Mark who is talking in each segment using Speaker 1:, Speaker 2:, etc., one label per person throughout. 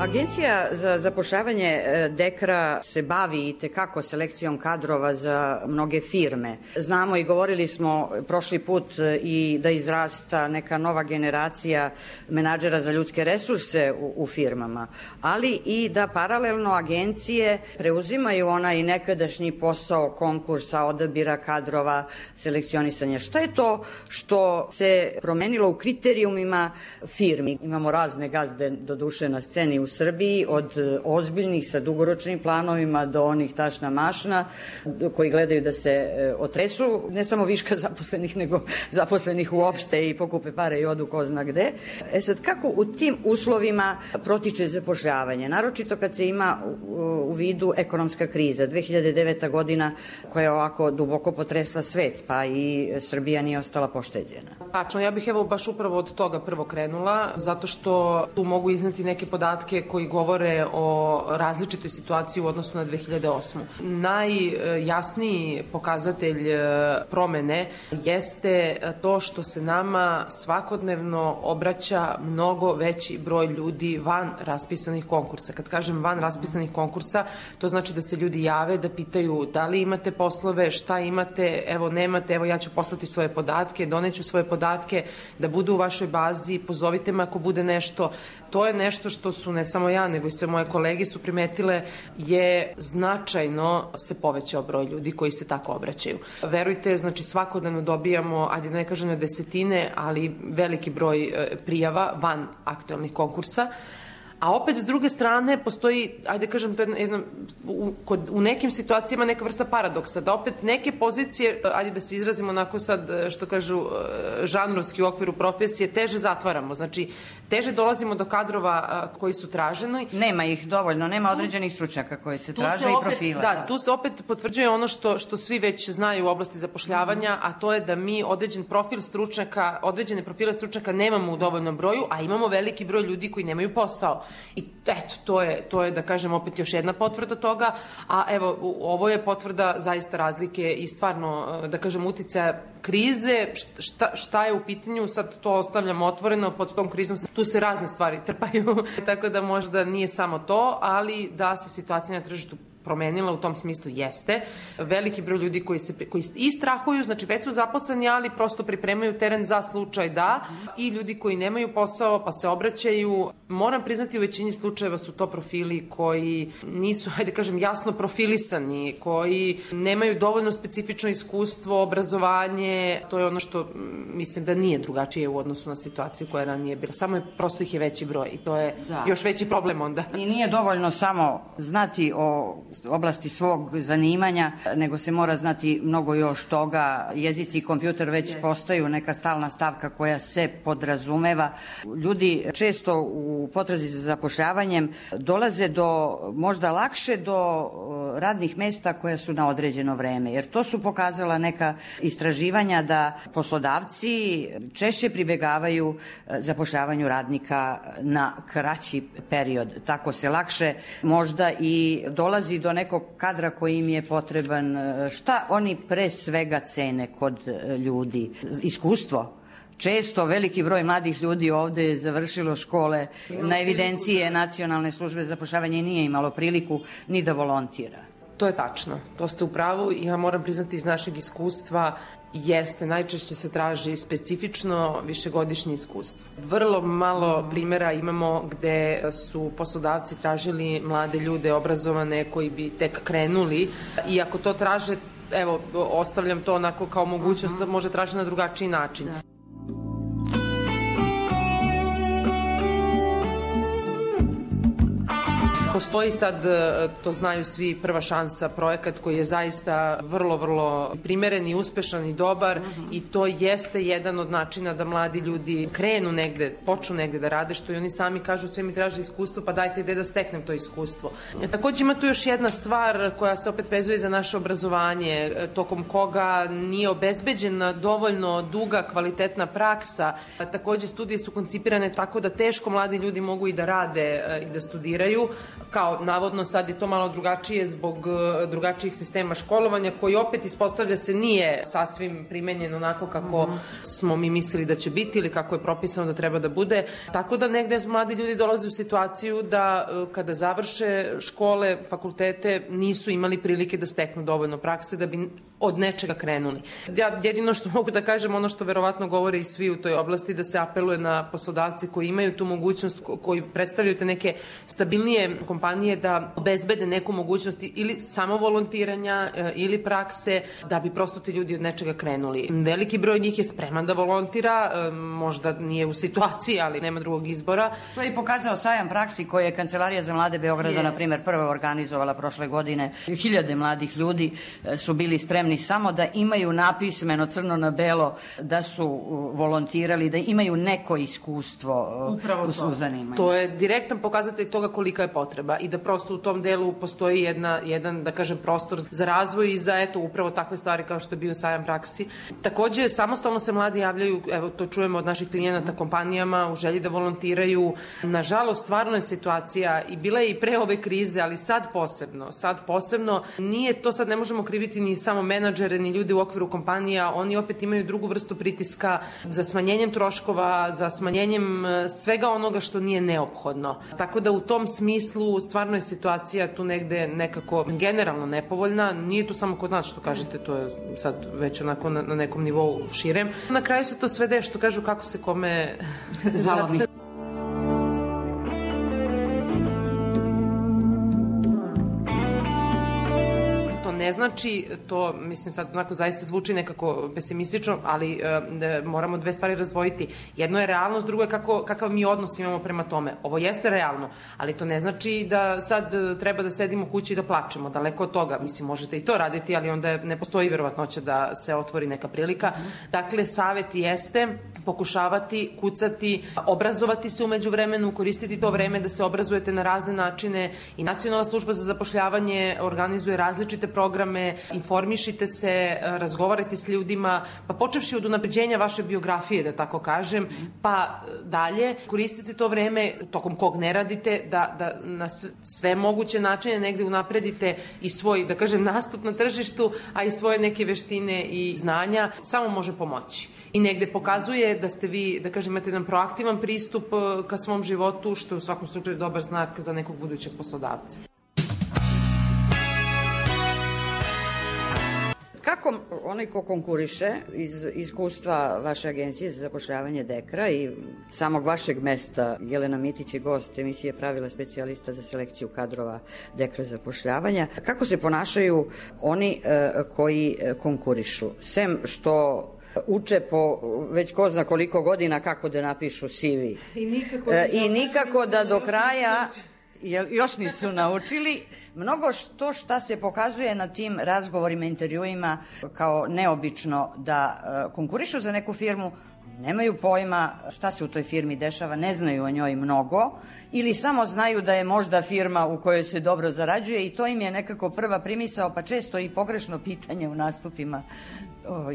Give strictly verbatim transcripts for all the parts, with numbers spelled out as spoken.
Speaker 1: Agencija za zapošljavanje Dekra se bavi i tekako selekcijom kadrova za mnoge firme. Znamo i govorili smo prošli put i da izrasta neka nova generacija menadžera za ljudske resurse u, u firmama, ali i da paralelno agencije preuzimaju onaj nekadašnji posao konkursa, odabira kadrova, selekcionisanja. Šta je to što se promenilo u kriterijumima firmi? Imamo razne gazde do duše na sceni u Srbiji, od ozbiljnih sa dugoročnim planovima do onih tašna mašna koji gledaju da se otresu ne samo viška zaposlenih, nego zaposlenih uopšte i pokupe pare i odu ko zna gde. E sad, kako u tim uslovima protiče zapošljavanje? Naročito kad se ima u vidu ekonomska kriza. dve hiljade deveta godina koja je ovako duboko potresla svet, pa i Srbija nije ostala pošteđena.
Speaker 2: Tačno, ja bih evo baš upravo od toga prvo krenula, zato što tu mogu izneti neke podatke koji govore o različitoj situaciji u odnosu na dve hiljade osmu. Najjasniji pokazatelj promene jeste to što se nama svakodnevno obraća mnogo veći broj ljudi van raspisanih konkursa. Kad kažem van raspisanih konkursa, to znači da se ljudi jave, da pitaju da li imate poslove, šta imate, evo nemate, evo ja ću poslati svoje podatke, doneću svoje podatke, da budu u vašoj bazi, pozovite me ako bude nešto. To je nešto što su ne samo ja, nego i sve moje kolege su primetile, je značajno se povećao broj ljudi koji se tako obraćaju. Verujte, znači svakodnevno dobijamo, ajde da ne kažem na desetine, ali veliki broj prijava van aktualnih konkursa. A opet, s druge strane, postoji, ajde kažem, to je jedna, u, kod, u nekim situacijama neka vrsta paradoksa, da opet neke pozicije, ajde da se izrazimo onako sad, što kažu, žanrovski u okviru profesije, teže zatvaramo. Znači, teže dolazimo do kadrova koji su traženi.
Speaker 1: Nema ih dovoljno, nema određenih stručnjaka koji se traže i profila.
Speaker 2: Da, da, tu se opet potvrđuje ono što, što svi već znaju u oblasti zapošljavanja, a to je da mi određen profil stručnjaka, određene profile stručnjaka nemamo u dovoljnom broju, a imamo veliki broj ljudi koji nemaju posao. I eto, to je, to je da kažem opet još jedna potvrda toga, a evo, ovo je potvrda zaista razlike i stvarno, da kažem, uticaja krize, šta, šta je u pitanju, sad to ostavljamo otvoreno, pod tom krizom tu se razne stvari trpaju, tako da možda nije samo to, ali da se situacija na tržištu promenila u tom smislu jeste. Veliki broj ljudi koji se koji i strahuju, znači već su zaposleni, ali prosto pripremaju teren za slučaj da, i ljudi koji nemaju posao pa se obraćaju. Moram priznati, u većini slučajeva su to profili koji nisu, hajde kažem, jasno profilisani, koji nemaju dovoljno specifično iskustvo, obrazovanje. To je ono što mislim da nije drugačije u odnosu na situaciju koja je ranije bila. Samo je, prosto ih je veći broj i to je da. Još veći problem onda.
Speaker 1: I nije dovoljno samo znati o oblasti svog zanimanja, nego se mora znati mnogo još toga. Jezici i kompjuter već yes. postaju neka stalna stavka koja se podrazumeva. Ljudi često u potrazi za zapošljavanjem dolaze do, možda lakše do radnih mesta koja su na određeno vreme, jer to su pokazala neka istraživanja da poslodavci češće pribegavaju zapošljavanju radnika na kraći period. Tako se lakše možda i dolazi do nekog kadra koji im je potreban. Šta oni pre svega cene kod ljudi? Iskustvo. Često veliki broj mladih ljudi ovde je završilo škole na evidencije Nacionalne službe za zapošljavanje i nije imalo priliku ni da volontira.
Speaker 2: To je tačno, to ste u pravu i ja moram priznati iz našeg iskustva jeste, najčešće se traži specifično višegodišnje iskustvo. Vrlo malo primjera imamo gde su poslodavci tražili mlade ljude obrazovane koji bi tek krenuli i ako to traže, evo, ostavljam to onako kao mogućnost da može tražiti na drugačiji način. Postoji sad, to znaju svi, Prva šansa, projekat koji je zaista vrlo, vrlo primeren i uspešan i dobar mm-hmm. i to jeste jedan od načina da mladi ljudi krenu negde, počnu negde da rade, što i oni sami kažu, sve mi traže iskustvo, pa dajte gde da steknem to iskustvo. E, takođe ima tu još jedna stvar koja se opet vezuje za naše obrazovanje, tokom koga nije obezbeđena dovoljno duga, kvalitetna praksa. E, takođe studije su koncipirane tako da teško mladi ljudi mogu i da rade e, i da studiraju. kao navodno sad je to malo drugačije zbog drugačijih sistema školovanja, koji opet ispostavlja se nije sasvim primenjen onako kako mm. smo mi mislili da će biti ili kako je propisano da treba da bude. Tako da negde mladi ljudi dolaze u situaciju da kada završe škole, fakultete, nisu imali prilike da steknu dovoljno prakse da bi od nečega krenuli. Ja jedino što mogu da kažem, ono što verovatno govore i svi u toj oblasti, da se apeluje na poslodavci koji imaju tu mogućnost, koji predstavljaju te neke stabilnije kompanije da obezbede neku mogućnost ili samo volontiranja ili prakse, da bi prosto ti ljudi od nečega krenuli. Veliki broj njih je spreman da volontira, možda nije u situaciji, ali nema drugog izbora.
Speaker 1: To je i pokazao sajam praksi koje je Kancelarija za mlade Beograda, yes. na primjer, prvo organizovala prošle godine. Hiljade mladih ljudi su bili spremni samo da imaju napismeno crno na belo da su volontirali, da imaju neko iskustvo
Speaker 2: Upravo
Speaker 1: u, u zanimanju.
Speaker 2: To je direktan pokazatelj toga kolika je potreba i da prosto u tom delu postoji jedna, jedan, da kažem, prostor za razvoj i za, eto, upravo takve stvari kao što je bio sajam praksi. Takođe, samostalno se mladi javljaju, evo, to čujemo od naših klijenata kompanijama u želji da volontiraju. Nažalost, stvarno je situacija i bila je i pre ove krize, ali sad posebno, sad posebno, nije to sad, ne možemo kriviti ni samo menadžere, ni ljudi u okviru kompanija, oni opet imaju drugu vrstu pritiska za smanjenjem troškova, za smanjenjem svega onoga što nije neophodno. Tako da u tom smislu stvarno je situacija tu negde nekako generalno nepovoljna, nije tu samo kod nas što kažete, to je sad već onako na, na nekom nivou širem. Na kraju se to svede što kažu kako se kome
Speaker 1: zalomi.
Speaker 2: Ne znači, to mislim sad onako zaista zvuči nekako pesimistično, ali e, moramo dve stvari razdvojiti. Jedno je realnost, drugo je kako, kakav mi odnos imamo prema tome. Ovo jeste realno, ali to ne znači da sad treba da sedimo kući i da plačemo, daleko od toga. Mislim, možete i to raditi, ali onda ne postoji verovatnoća da se otvori neka prilika. Dakle, savet jeste pokušavati, kucati, obrazovati se umeđu vremenu, koristiti to vreme da se obrazujete na razne načine i Nacionalna služba za zapošljavanje organizuje različite programe, informišite se, razgovarajte s ljudima, pa počevši od unapređenja vaše biografije, da tako kažem, pa dalje, koristite to vreme tokom kog ne radite, da, da na sve moguće načine negde unapredite i svoj, da kažem, nastup na tržištu, a i svoje neke veštine i znanja, samo može pomoći. I negde pokazuje da ste vi, da kažem, imate jedan proaktivan pristup ka svom životu, što je u svakom slučaju dobar znak za nekog budućeg poslodavca.
Speaker 1: Kako onaj ko konkuriše iz iskustva vaše agencije za zapošljavanje Dekra i samog vašeg mesta, Jelena Mitić je gost emisije Pravila specijalista za selekciju kadrova Dekra zapošljavanja, kako se ponašaju oni e, koji konkurišu? Sem što uče po već ko zna koliko godina kako da napišu C V.
Speaker 2: I nikako,
Speaker 1: e, i nikako da do kraja još nisu naučili. Mnogo što šta se pokazuje na tim razgovorima, intervjuima kao neobično da konkurišu za neku firmu, nemaju pojma šta se u toj firmi dešava, ne znaju o njoj mnogo ili samo znaju da je možda firma u kojoj se dobro zarađuje i to im je nekako prva primisao, pa često i pogrešno pitanje u nastupima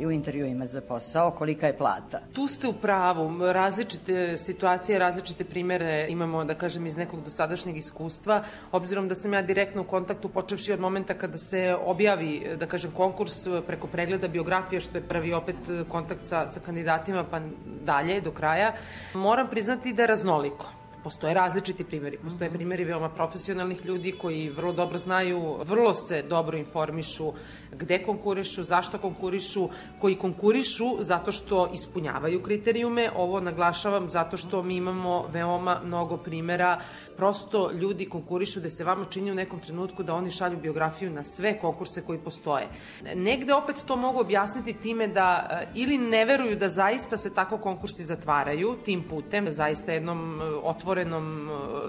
Speaker 1: i u intervjuima za posao, kolika je plata.
Speaker 2: Tu ste u pravu, različite situacije, različite primere imamo, da kažem, iz nekog dosadašnjeg iskustva, obzirom da sam ja direktno u kontaktu počevši od momenta kada se objavi, da kažem, konkurs preko pregleda biografije, što je prvi opet kontakt sa, sa kandidatima, pa dalje, do kraja, moram priznati da je raznoliko. Postoje različiti primjeri. Postoje primjeri veoma profesionalnih ljudi koji vrlo dobro znaju, vrlo se dobro informišu gde konkurišu, zašto konkurišu, koji konkurišu zato što ispunjavaju kriterijume. Ovo naglašavam zato što mi imamo veoma mnogo primjera. Prosto ljudi konkurišu da se vama čini u nekom trenutku da oni šalju biografiju na sve konkurse koji postoje. Negde opet to mogu objasniti time da ili ne veruju da zaista se tako konkursi zatvaraju tim putem, zaista jednom otvorenom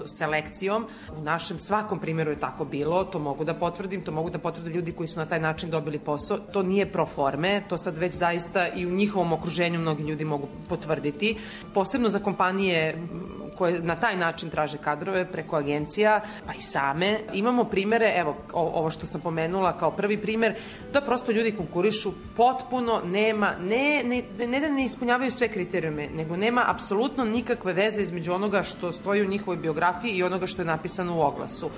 Speaker 2: selekcijom. U našem svakom primjeru je tako bilo, to mogu da potvrdim, to mogu da potvrde ljudi koji su na taj način dobili posao. To nije pro forme, to sad već zaista i u njihovom okruženju mnogi ljudi mogu potvrditi. Posebno za kompanije koje na taj način traže kadrove preko agencija, pa i same. Imamo primere, evo, ovo što sam pomenula kao prvi primer, da prosto ljudi konkurišu, potpuno nema, ne, ne, ne da ne ispunjavaju sve kriterijume, nego nema apsolutno nikakve veze između onoga što stoji u njihovoj biografiji i onoga što je napisano u oglasu.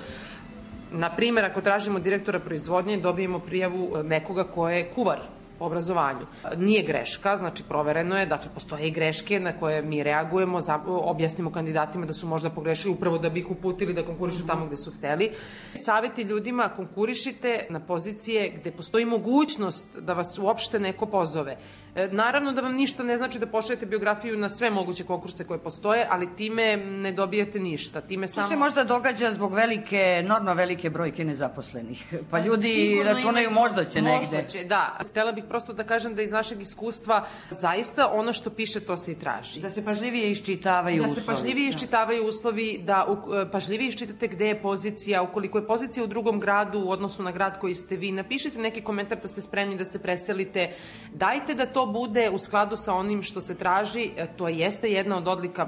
Speaker 2: Na primjer, ako tražimo direktora proizvodnje, dobijemo prijavu nekoga ko je kuvar po obrazovanju. Nije greška, znači provereno je, dakle postoje i greške na koje mi reagujemo, za, objasnimo kandidatima da su možda pogrešili upravo da bi ih uputili da konkurišu tamo gde su hteli. Saveti ljudima, konkurišite na pozicije gde postoji mogućnost da vas uopšte neko pozove. E, naravno da vam ništa ne znači da pošaljete biografiju na sve moguće konkurse koje postoje, ali time ne dobijete ništa. Time samo...
Speaker 1: To se možda događa zbog velike, enormno velike brojke nezaposlenih. Pa ljudi računaju ima... možda će negde.
Speaker 2: Možda će, da. Htela bih prosto da kažem da iz našeg iskustva zaista ono što piše to se i traži.
Speaker 1: Da se pažljivije iščitavaju uslovi.
Speaker 2: Da se pažljivije iščitavaju uslovi, da pažljivije iščitate gde je pozicija, ukoliko je pozicija u drugom gradu u odnosu na grad koji ste vi, napišite neki komentar da ste spremni da se preselite, dajte da to bude u skladu sa onim što se traži, to jeste jedna od odlika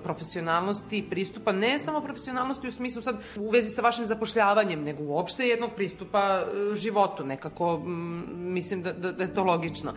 Speaker 2: profesionalnosti, pristupa, ne samo profesionalnosti u smislu sad u vezi sa vašim zapošljavanjem, nego uopšte jednog pristupa životu, nekako mislim da, da, da je to logično.